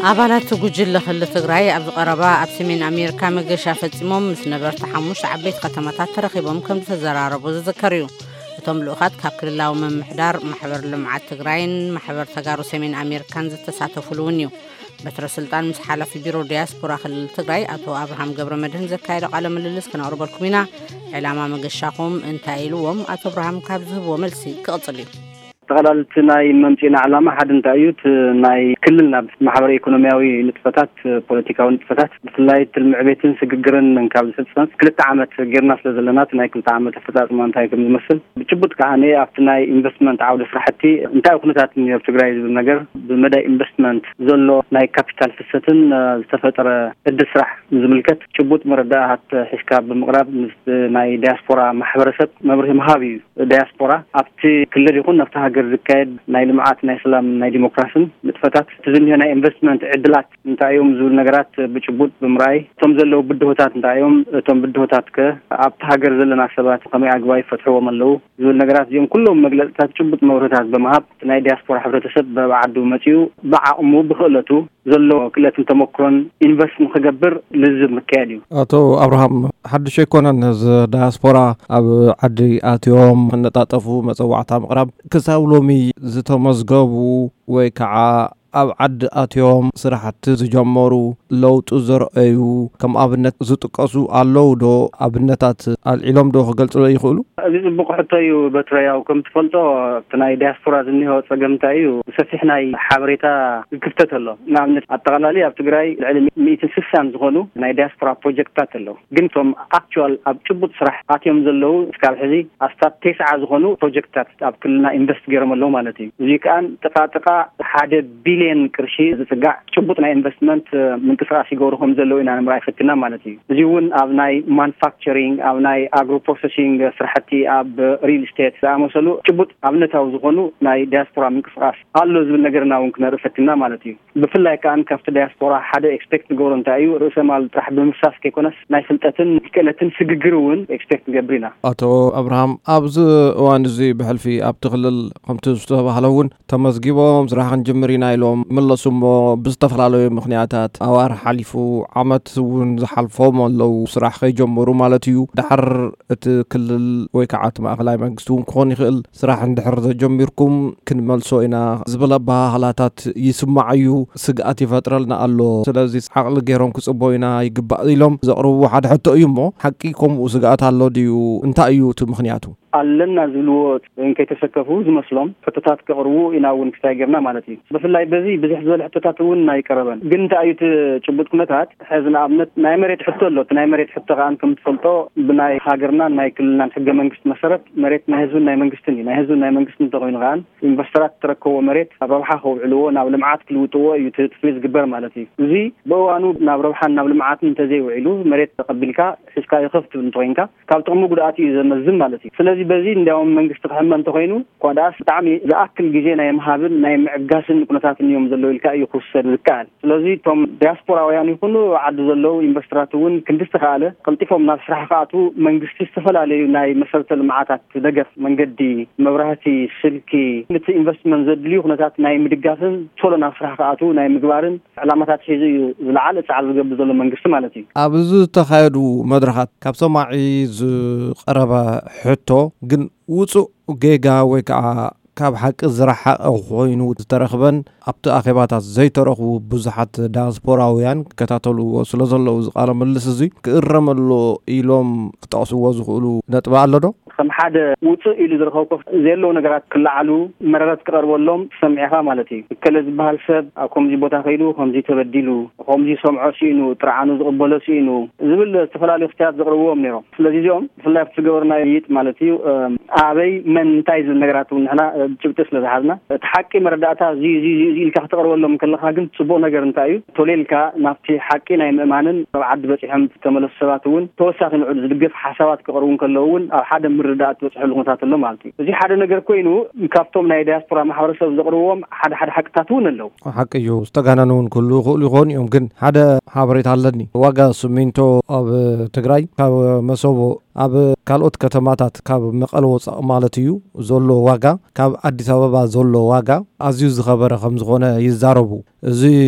ኣባላት ጉጅለ ክልል ትግራይ ኣብዚ ቀረባ ኣብ ሰሜን ኣሜሪካ መገሻ ፈጺሞም ምስ ነበርቲ ሓሙሽተ ዓበይቲ ከተማታት ተረኺቦም ከም ዝተዘራረቡ ዝዝከር እዩ። እቶም ልኡኻት ካብ ክልላዊ ምምሕዳር፣ ማሕበር ልምዓት ትግራይን ማሕበር ተጋሩ ሰሜን ኣሜሪካን ዝተሳተፉሉ እውን እዩ። በትረ ስልጣን ምስ ሓላፊ ቢሮ ዲያስፖራ ክልል ትግራይ ኣቶ ኣብርሃም ገብረ መድህን ዘካየዶ ቃለ ምልልስ ክነቕርበልኩም ኢና። ዕላማ መገሻኹም እንታይ ኢልዎም? ኣቶ ኣብርሃም ካብ ዝህብዎ መልሲ ክቕጽል እዩ። ጠቕላልቲ ናይ መምፅና ዕላማ ሓደ እንታይ እዩ? እቲ ናይ ክልልና ማሕበረ ኢኮኖሚያዊ ንጥፈታት፣ ፖለቲካዊ ንጥፈታት፣ ብፍላይ እቲ ምዕቤትን ስግግርን ካብ ዝፍፀም ክልተ ዓመት ጌርና ስለ ዘለና፣ እቲ ናይ ክልተ ዓመት ኣፈፃፅማ እንታይ ከም ዝመስል ብጭቡጥ ከዓ ኣብቲ ናይ ኢንቨስትመንት ዓውደ ስራሕቲ እንታይ ኩነታት እኒኦ ኣብ ትግራይ ዝብል ነገር፣ ብመዳይ ኢንቨስትመንት ዘሎ ናይ ካፒታል ፍሰትን ዝተፈጠረ ዕድል ስራሕ ዝምልከት ጭቡጥ መረዳእታት ሒዝካ ብምቕራብ ምስ ናይ ዲያስፖራ ማሕበረሰብ መብርሂ ምሃብ እዩ። ዲያስፖራ ኣብቲ ክልል ይኹን ኣብቲ ሃገር ዝካየድ ናይ ልምዓት፣ ናይ ሰላም፣ ናይ ዲሞክራስን ንጥፈታት፣ እቲ ዝኒሆ ናይ ኢንቨስትመንት ዕድላት እንታይ እዮም ዝብል ነገራት ብጭቡጥ ብምርኣይ፣ እቶም ዘለዉ ብድሆታት እንታይ እዮም፣ እቶም ብድሆታት ከ ኣብቲ ሃገር ዘለና ሰባት ከመይ ኣግባብ ይፈትሕዎም ኣለዉ ዝብል ነገራት፣ እዚኦም ኩሎም መግለፅታት ጭቡጥ መብርህታት ብምሃብ፣ ናይ ዲያስፖራ ሕብረተሰብ በብዓዱ መፂኡ ብዓቕሙ ብክእለቱ ዘሎ ክእለትን ተመክሮን ኢንቨስት ንክገብር ልዝብ ምክያድ እዩ። ኣቶ ኣብርሃም፣ ሓድሽ ኣይኮነን እዚ ዳያስፖራ ኣብ ዓዲ ኣትዮም ክነጣጠፉ መጸዋዕታ ምቕራብ። ክሳብ ሎሚ ዝተመዝገቡ ወይ ከዓ ኣብ ዓዲ ኣትዮም ስራሕቲ ዝጀመሩ፣ ለውጢ ዘርአዩ፣ ከም ኣብነት ዝጥቀሱ ኣለዉ ዶ? ኣብነታት ኣልዒሎም ዶ ክገልጹ ይኽእሉ? እዚ ጽቡቕ ሕቶ እዩ በትረ። ያው ከም ትፈልጦ እቲ ናይ ዲያስፖራ ዝኒሆ ጸገም እንታይ እዩ? ሰፊሕ ናይ ሓበሬታ ክፍተት ኣሎ። ንኣብነት ኣጠቓላሊ ኣብ ትግራይ ልዕሊ ሚእትን ስሳን ዝኾኑ ናይ ዲያስፖራ ፕሮጀክትታት ኣለዉ። ግን እቶም ኣክቹዋል ኣብ ጭቡጥ ስራሕ ኣትዮም ዘለዉ እስካብ ሕዚ ኣስታት ተስዓ ዝኾኑ ፕሮጀክትታት ኣብ ክልልና ኢንቨስት ገይሮም ኣለዉ ማለት እዩ። እዚ ከኣ ጥቓ ጥቓ ሓደ ቢልየን ቅርሺ ዝጽጋዕ ጭቡጥ ናይ ኢንቨስትመንት ምንቅስቃስ ይገብሩ ከም ዘለዉ ኢና ንምርኣይ ፈቲና ማለት እዩ። እዚ እውን ኣብ ናይ ማኑፋክቸሪንግ፣ ኣብ ናይ ኣግሮ ፕሮሰሲንግ ስራሕቲ፣ ኣብ ሪል ስቴት ዝኣመሰሉ ጭቡጥ ኣብነታዊ ዝኾኑ ናይ ዲያስፖራ ምንቅስቃስ ኣሎ ዝብል ነገርና እውን ክነርኢ ፈቲና ማለት እዩ። ብፍላይ ከኣ ካብቲ ዲያስፖራ ሓደ ኤክስፔክት ንገብሮ እንታይ እዩ፣ ርእሰ ማል ጥራሕ ብምፍሳስ ከይኮነስ ናይ ፍልጠትን ክእለትን ስግግር እውን ኤክስፔክት ንገብር ኢና። ኣቶ ኣብርሃም፣ ኣብዚ እዋን እዚ ብሕልፊ ኣብቲ ክልል ከምቲ ዝተባህለ እውን ተመዝጊቦም ስራሕ ክንጅምር ኢና ኢሎም መለሱ እሞ ብዝተፈላለዩ ምኽንያታት ኣዋር ሓሊፉ ዓመት እውን ዝሓልፎም ኣለዉ ስራሕ ከይጀመሩ ማለት እዩ። ድሓር እቲ ክልል ወይ ከዓ እቲ ማእኸላይ መንግስቲ እውን ክኾን ይኽእል ስራሕ እንድሕር ዘጀሚርኩም ክንመልሶ ኢና ዝብል ኣበሃህላታት ይስማዕ እዩ፣ ስግኣት ይፈጥረልና ኣሎ። ስለዚ ዓቕሊ ገይሮም ክፅበዩና ይግባእ ኢሎም ዘቕርብዎ ሓደ ሕቶ እዩ እሞ ሓቂ ከምኡ ስግኣት ኣሎ ድዩ? እንታይ እዩ እቲ ምኽንያቱ? ኣለና ዝብልዎ እንከይተሰከፉ ዝመስሎም ሕቶታት ከቕርቡ ኢና እውን ክስታይ ጌርና ማለት እዩ። ብፍላይ በዚ ብዝሕ ዝበለ ሕቶታት እውን ኣይቀረበን። ግን እንታይ እዩ እቲ ጭቡጥ ኩነታት? ሕዚ ንኣብነት ናይ መሬት ሕቶ ኣሎ። እቲ ናይ መሬት ሕቶ ከኣ ከም ትፈልጦ ብናይ ሃገርናን ናይ ክልልናን ሕገ መንግስቲ መሰረት መሬት ናይ ህዝብን ናይ መንግስትን እዩ። ናይ ህዝብን ናይ መንግስትን እንተኾይኑ ከኣ ኢንቨስተራት እተረከብዎ መሬት ኣብ ረብሓ ከውዕልዎ፣ ናብ ልምዓት ክልውጥዎ እዩ እቲ ትፍሊ ዝግበር ማለት እዩ። እዚ ብእዋኑ ናብ ረብሓን ናብ ልምዓትን እንተዘይውዒሉ መሬት ተቐቢልካ ሒዝካዮ ከፍ ትብል እንተኾይንካ ካብ ጥቕሚ ጉድኣት እዩ ዘመዝን ማለት እዩ። ስለዚ በዚ እንዲያውም መንግስቲ ክሕመ እንተኾይኑ እኳ ደኣስ ብጣዕሚ ዝኣክል ግዜ ናይ ምሃብን ናይ ምዕጋስን ኩነታት እዮም ዘለዉ ኢልካ እዩ ክውሰድ ዝከኣል። ስለዚ እቶም ዲያስፖራውያን ይኹኑ ኣብ ዓዲ ዘለዉ ኢንቨስተራት እውን ክንዲ ዝተኻእለ ቀልጢፎም ናብ ስራሕ ክኣትዉ መንግስቲ ዝተፈላለዩ ናይ መሰረተ ልምዓታት ደገፍ፣ መንገዲ፣ መብራህቲ፣ ስልኪ፣ ነቲ ኢንቨስትመንት ዘድልዩ ኩነታት ናይ ምድጋፍን ቶሎ ናብ ስራሕ ክኣትዉ ናይ ምግባርን ዕላማታት ሒዙ እዩ ዝለዓለ ጻዕሪ ዝገብር ዘሎ መንግስቲ ማለት እዩ። ኣብ እዚ ዝተኻየዱ መድረኻት ካብ ሰማዒ ዝቐረበ ሕቶ ግን ውጹእ ጌጋ ወይ ከዓ ካብ ሓቂ ዝረሓቐ ኮይኑ ዝተረኽበን ኣብቲ ኣኼባታት ዘይተረኽቡ ብዙሓት ዳያስፖራውያን ይከታተልዎ ስለ ዘለዉ እዚ ቃለ ምልልስ እዚ ክእረም ኣሎ ኢሎም ክጠቕስዎ ዝኽእሉ ነጥቢ ኣሎ ዶ? ከም ሓደ ውጹእ ኢሉ ዝረኸብኩ ዘየለዉ ነገራት ክለዓሉ መረረት ክቐርበሎም ሰሚዕኻ ማለት እዩ። እከለ ዝበሃል ሰብ ኣብ ከምዚ ቦታ ከይዱ ከምዚ ተበዲሉ፣ ከምዚ ሰምዖ ስኢኑ፣ ጥርዓኑ ዝቕበሎ ስኢኑ ዝብል ዝተፈላለዩ ክስታት ዘቕርብዎም ነይሮም። ስለዚ እዚኦም ብፍላይ ኣብቲ ዝገበርናዮ ምይይጥ ማለት እዩ፣ እም፣ ኣበይ፣ መን፣ እንታይ ዝብል ነገራት እውን ንሕና፣ እ፣ ጭብጢ ስለ ዝሓዝና፣ እቲ ሓቂ መረዳእታ እዚ፣ እዚ፣ እዚ፣ እዚ ኢልካ ክተቕርበሎም ከለኻ ግን ጽቡቕ ነገር እንታይ እዩ? ቶሌልካ ናብቲ ሓቂ ናይ ምእማንን ኣብ ዓዲ በጺሖም ዝተመለሱ ሰባት እውን ተወሳኺ ንዕኡ ዝድግፍ ሓሳባት ክቕርቡ እንከለዉ እውን ኣብ ሓደ ምርዳእ ትበጽሐሉ ኩነታት ኣሎ ማለት እዩ። እዚ ሓደ ነገር ኮይኑ ካብቶም ናይ ዳያስፖራ ማሕበረሰብ ዘቕርብዎም ሓደ ሓደ ሓቅታት እውን ኣለዉ። ሓቂ እዩ፣ ዝተጋነኑ እውን ክህልዉ ይኽእሉ ይኾኑ እዮም። ግን ሓደ ሓበሬታ ኣለኒ። ዋጋ ስሚንቶ ኣብ ትግራይ ካብ መሰቦ ኣብ ካልኦት ከተማታት ካብ መቐለ ወፃእ ማለት እዩ ዘሎ ዋጋ ካብ ኣዲስ ኣበባ ዘሎ ዋጋ ኣዝዩ ዝኸበረ ከም ዝኾነ ይዛረቡ። እዚ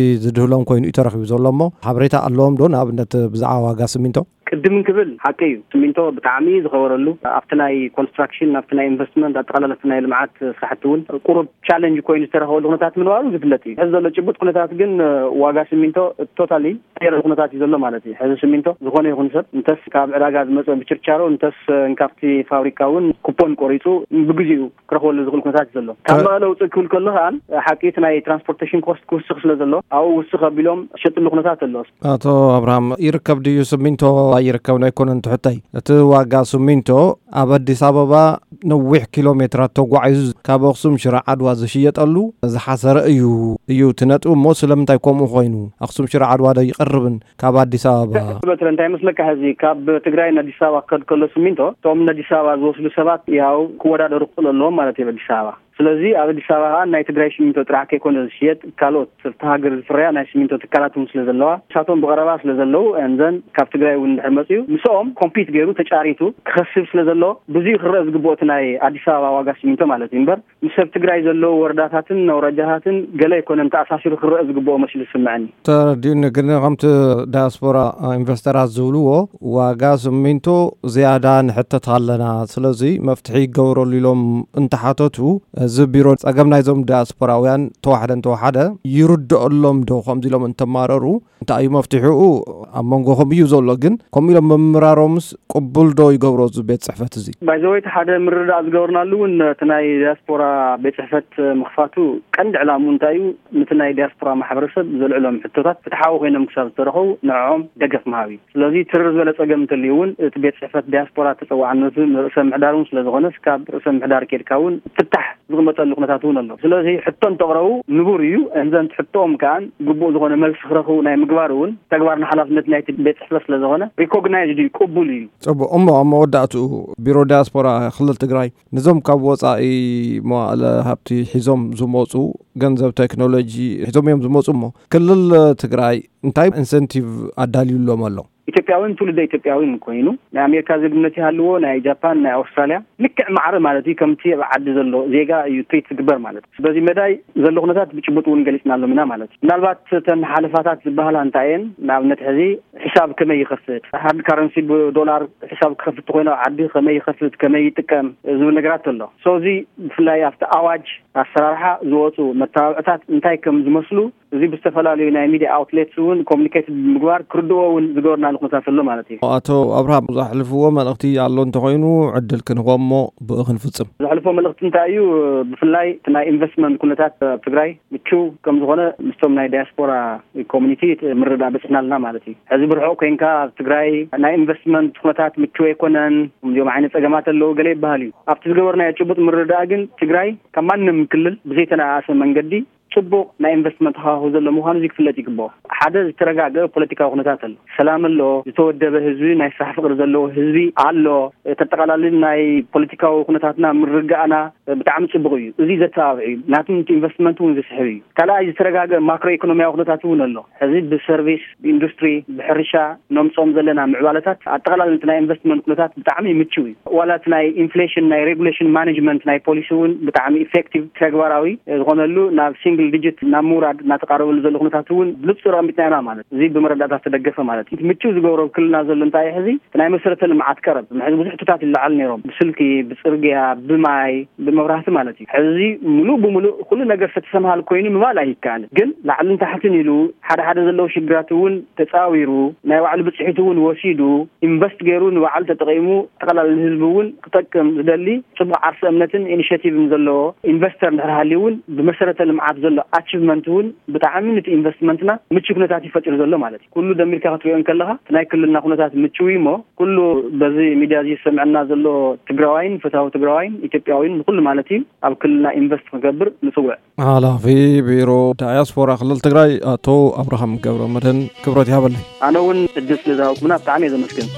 ዝድህሎም ኮይኑ እዩ ተረኺቡ ዘሎ እሞ ሓበሬታ ኣለዎም ዶ? ንኣብነት ብዛዕባ ዋጋ ስሚንቶ። ቅድም ክብል ሓቂ እዩ፣ ስሚንቶ ብጣዕሚ ዝኸበረሉ፣ ኣብቲ ናይ ኮንስትራክሽን፣ ኣብቲ ናይ ኢንቨስትመንት፣ ኣጠቓላሊ ኣብቲ ናይ ልምዓት ስራሕቲ እውን ቁሩብ ቻለንጅ ኮይኑ ዝተረኸበሉ ኩነታት ምንባሩ ዝፍለጥ እዩ። ሕዚ ዘሎ ጭቡጥ ኩነታት ግን ዋጋ ስሚንቶ ቶታሊ ቀየረ ኩነታት እዩ ዘሎ ማለት እዩ። ሕዚ ስሚንቶ ዝኾነ ይኹን ሰብ እንተስ ካብ ዕዳጋ ዝመፀ ብችርቻሮ እንተስ ካብቲ ፋብሪካ እውን ኩፖን ቆሪፁ ብግዚኡ ክረኽበሉ ዝኽእል ኩነታት እዩ ዘሎ። ካብ መቐለ ውፅእ ክብል ከሎ ከዓ ሓቂ እቲ ናይ ትራንስፖርቴሽን ኮስት ክውስኽ ስለ ዘሎ ኣብኡ ውስኽ ኣቢሎም ዝሸጥሉ ኩነታት ኣሎ። ኣቶ ኣብርሃም፣ ይርከብ ድዩ ስሚንቶ ኣይርከብን ኣይኮነን ትሕተይ? እቲ ዋጋ ስሚንቶ ኣብ ኣዲስ ኣበባ ነዊሕ ኪሎ ሜትራት ተጓዒዙ ካብ ኣኽሱም ሽረ ዓድዋ ዝሽየጠሉ ዝሓሰረ እዩ እዩ እቲ ነጥቢ እሞ ስለምንታይ ከምኡ ኮይኑ? ኣኽሱም ሽረ ዓድዋ ዶ ይቐርብን ካብ ኣዲስ ኣበባ? በትረ እንታይ መስለካ፣ ሕዚ ካብ ትግራይ ንኣዲስ ኣበባ ክኸድ ከሎ ስሚንቶ እቶም ንኣዲስ ኣበባ ዝወስዱ ሰባት ያው ክወዳደሩ ክኽእሉ ኣለዎም ማለት እዩ ኣዲስ ኣበባ። ስለዚ ኣብ ኣዲስ ኣበባ ከዓ ናይ ትግራይ ስሚንቶ ጥራሕ ከይኮነ ዝሽየጥ ካልኦት ኣብቲ ሃገር ዝፍረያ ናይ ስሚንቶ ትካላት እውን ስለ ዘለዋ ንሳቶም ብቐረባ ስለ ዘለዉ and then ካብ ትግራይ እውን እንድሕር መፅኡ ምስኦም ኮምፒት ገይሩ ተጫሪቱ ክኸስብ ስለ ዘለዎ ብዙ ክረአ ዝግብኦ እቲ ናይ ኣዲስ ኣበባ ዋጋ ስሚንቶ ማለት እዩ እምበር ምስ ኣብ ትግራይ ዘለዉ ወረዳታትን ኣውራጃታትን ገለ ኣይኮነን ተኣሳሲሩ ክረአ ዝግብኦ መሲሉ ዝስምዐኒ። ተረዲኡኒ። ግን ከምቲ ዳያስፖራ ኢንቨስተራት ዝብልዎ ዋጋ ስሚንቶ ዝያዳ ንሕተት ኣለና፣ ስለዚ መፍትሒ ይገበረሉ ኢሎም እንተሓተቱ እዚ ቢሮ ጸገም ናይዞም ዳያስፖራውያን ተዋሕደ እንተወሓደ ይርድኦሎም ዶ ከምዚ ኢሎም እንተማረሩ እንታይ እዩ መፍትሒኡ? ኣብ መንጎኹም እዩ ዘሎ፣ ግን ከምኡ ኢሎም ምምራሮምስ ቅቡል ዶ ይገብሮ እዚ ቤት ጽሕፈት እዚ? ባይዘወይቲ ሓደ ምርዳእ ዝገበርናሉ እውን እቲ ናይ ዲያስፖራ ቤት ጽሕፈት ምኽፋቱ ቀንዲ ዕላምኡ እንታይ እዩ? ነቲ ናይ ዲያስፖራ ማሕበረሰብ ዘልዕሎም ሕቶታት ፍትሓዊ ኮይኖም ክሳብ ዝተረኸቡ ንዕኦም ደገፍ ምሃብ እዩ። ስለዚ ትርር ዝበለ ጸገም እንተልዩ እውን እቲ ቤት ጽሕፈት ዲያስፖራ ተጸዋዕነቱ ንርእሰ ምሕዳር እውን ስለ ዝኾነ እስካብ ርእሰ ምሕዳር ኬድካ እውን ፍታሕ ዝቕመጠሉ ኩነታት እውን ኣሎ። ስለዚ ሕቶ እንተቕረቡ ንቡር እዩ። እንዘን ሕቶኦም ከኣን ግቡእ ዝኾነ መልሲ ክረኽቡ ናይ ምግባር እውን ተግባርን ሓላፍነት ናይቲ ቤት ጽሕፈት ስለ ዝኾነ ሪኮግናይዝድ እዩ፣ ቅቡል እዩ። ጽቡቕ። እሞ ኣብ መወዳእትኡ ቢሮ ዲያስፖራ ክልል ትግራይ ነዞም ካብ ወጻኢ መዋእለ ሃብቲ ሒዞም ዝመጹ ገንዘብ ቴክኖሎጂ ሒዞም እዮም ዝመጹ እሞ ክልል ትግራይ እንታይ ኢንሰንቲቭ ኣዳልዩሎም ኣሎ? ኢትዮጵያውን ትውልደ ኢትዮጵያውን ኮይኑ ናይ ኣሜሪካ ዜግነት ይሃልዎ ናይ ጃፓን ናይ ኣውስትራልያ ልክዕ ማዕረ ማለት እዩ ከምቲ ኣብ ዓዲ ዘሎ ዜጋ እዩ ትሪት ዝግበር ማለት እዩ። በዚ መዳይ ዘሎ ኩነታት ብጭቡጥ እውን ገሊፅናሎም ኢና ማለት እዩ። ምናልባት እተን ሓለፋታት ዝበሃላ እንታይ እየን? ንኣብነት ሕዚ ሕሳብ ከመይ ይኸፍት፣ ሃርድ ካረንሲ ብዶላር ሕሳብ ክኸፍት ተኮይኑ ኣብ ዓዲ ከመይ ይኸፍት ከመይ ይጥቀም ዝብል ነገራት ኣሎ። ሶ እዚ ብፍላይ ኣብቲ ኣዋጅ ኣሰራርሓ ዝወፁ መተባብዕታት እንታይ ከም ዝመስሉ እዚ ብዝተፈላለዩ ናይ ሚድያ ኣውትሌትስ እውን ኮሚኒኬት ብምግባር ክርድዎ እውን ዝገበርናሉ ኩነታት ኣሎ ማለት እዩ። ኣቶ ኣብርሃም ዘሕልፍዎ መልእኽቲ ኣሎ እንተኮይኑ ዕድል ክንህቦ እሞ ብኡ ክንፍፅም። ዘሕልፎ መልእኽቲ እንታይ እዩ? ብፍላይ እቲ ናይ ኢንቨስትመንት ኩነታት ኣብ ትግራይ ምቹው ከም ዝኾነ ምስቶም ናይ ዲያስፖራ ኮሚኒቲ ምርዳእ በፅሕና ኣለና ማለት እዩ። ሕዚ ብርሑቕ ኮይንካ ኣብ ትግራይ ናይ ኢንቨስትመንት ኩነታት ምቹው ኣይኮነን፣ እዚኦም ዓይነት ፀገማት ኣለዉ ገለ ይበሃል እዩ። ኣብቲ ዝገበርናዮ ጭቡጥ ምርዳእ ግን ትግራይ ካብ ማንም ክልል ብዘይተነኣኣሰ መንገዲ ፅቡቕ ናይ ኢንቨስትመንት ሃዋሁ ዘሎ ምዃኑ እዚ ክፍለጥ ይግብኦ። ሓደ ዝተረጋገአ ፖለቲካዊ ኩነታት ኣሎ፣ ሰላም ኣሎ፣ ዝተወደበ ህዝቢ፣ ናይ ስራሕ ፍቕሪ ዘለዎ ህዝቢ ኣሎ። ተጠቓላሊ ናይ ፖለቲካዊ ኩነታትና ምርግጋእና ብጣዕሚ ፅቡቕ እዩ። እዚ ዘተባብዕ እዩ፣ ናቱ ኢንቨስትመንት እውን ዝስሕብ እዩ። ካልኣይ ዝተረጋገአ ማክሮ ኢኮኖሚያዊ ኩነታት እውን ኣሎ። ሕዚ ብሰርቪስ፣ ብኢንዱስትሪ፣ ብሕርሻ ነምፅኦም ዘለና ምዕባለታት ኣጠቓላሊ እቲ ናይ ኢንቨስትመንት ኩነታት ብጣዕሚ ምችው እዩ። ዋላ እቲ ናይ ኢንፍሌሽን ናይ ሬጉሌሽን ማኔጅመንት ናይ ፖሊሲ እውን ብጣዕሚ ኢፌክቲቭ ተግባራዊ ዝኾነሉ ናብ ሲንግል ዲጂት ናብ ምውራድ እናተቃረበሉ ዘሎ ኩነታት እውን ብንፁር ኣሚጥና ኢና ማለት እዚ ብመረዳእታ ዝተደገፈ ማለት እዩ። ምችው ዝገብሮ ክልልና ዘሎ እንታይ እዩ? ሕዚ እቲ ናይ መሰረተ ልምዓት ቀረብ ምሕዚ ብዙሕ ሕቶታት ይለዓሉ ነይሮም፣ ብስልኪ፣ ብፅርግያ፣ ብማይ፣ ብመብራህቲ ማለት እዩ። ሕዚ ሙሉእ ብሙሉእ ኩሉ ነገር ዝተሰምሃል ኮይኑ ምባል ኣይከኣልን፣ ግን ላዕልን ታሕትን ኢሉ ሓደ ሓደ ዘለዉ ሽግራት እውን ተፃዊሩ ናይ ባዕሉ ብፅሒት እውን ወሲዱ ኢንቨስት ገይሩ ንባዕሉ ተጠቂሙ ኣጠቃላሊ ህዝቢ እውን ክጠቅም ዝደሊ ፅቡቅ ዓርሰ እምነትን ኢኒሽቲቭን ዘለዎ ኢንቨስተር እንድሕር ሃልዩ እውን ብመሰረተ ልምዓት ዘሎ ኣቺቭመንት እውን ብጣዕሚ ነቲ ኢንቨስትመንትና ምቹ ኩነታት እዩ ፈጢሩ ዘሎ ማለት እዩ። ኩሉ ደሚርካ ክትሪኦ እንከለካ እቲ ናይ ክልልና ኩነታት ምቹው እዩ እሞ ኩሉ በዚ ሚድያ እዚ ዝሰምዐና ዘሎ ትግራዋይን ፈታዊ ትግራዋይን ኢትዮጵያዊን ንኩሉ ማለት እዩ ኣብ ክልልና ኢንቨስት ክገብር ንፅውዕ። ሓላፊ ቢሮ ዳያስፖራ ክልል ትግራይ ኣቶ ኣብርሃም ገብረ መድህን ክብረት ይሃበለይ። ኣነ እውን ዕድል ስለ ዝሃብኩምና ብጣዕሚ እየ ዘመስግን።